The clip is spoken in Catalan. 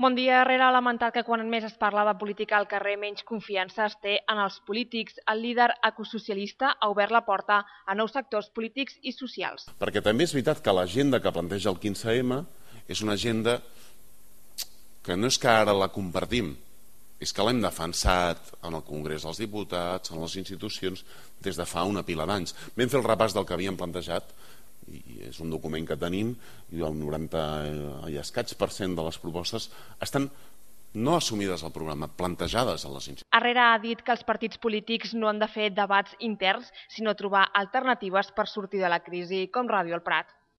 Bon dia. Herrera ha lamentat que quan més es parla de política al carrer menys confiança es té en els polítics. El líder ecosocialista ha obert la porta a nous sectors polítics i socials. Perquè també és veritat que l'agenda que planteja el 15M és una agenda que no és que ara la compartim, és que l'hem defensat en el Congrés dels Diputats, en les institucions, des de fa una pila d'anys. Vam fer el repàs del que havíem plantejat, i és un document que tenim, i el 90% i escaig de les propostes estan no assumides al programa, plantejades a les institucions. Herrera ha dit que els partits polítics no han de fer debats interns, sinó trobar alternatives per sortir de la crisi, com Ràdio El Prat.